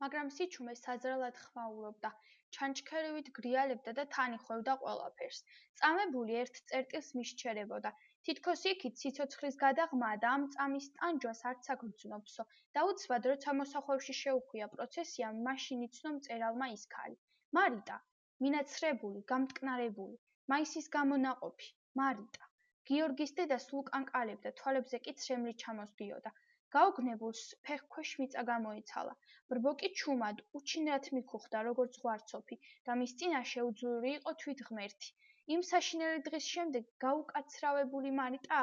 მაგრამ სიჩუმე საზრალად ხმაურობდა, ჩანჩქერივით გრიალებდა და თან იხვევდა ყველაფერს. წამებული ერთ წერტილს მისჩერებოდა. თითქოს იქით სიცოცხლის გადაღმა და ამ წამის ტანჯვას არც აქ გრძნობსო. დაუცბად, როცა მოსახვევში შეუხვია პროცესიამ, მაშინ იცნო მწერალმა ის ქალი. მარიტა, მინაცრებული, გამტკნარებული, მაისის გამონაყოფი, მარიტა. გიორგის დედა სულ კანკალებდა, თვალებზე კი ცრემლი ჩამოსდიოდა. გაოგნებულს ფეხქვეშ მიწა გამოიცალა. ბრბოკი ჩუმად, უჩინრად მიქუხდა, როგორც ზღვარცოფი და მის წინაშე უძლური იყო თვით ღმერთი. იმ საშინელი დღის შემდეგ გაუკაცრავებული მარიტა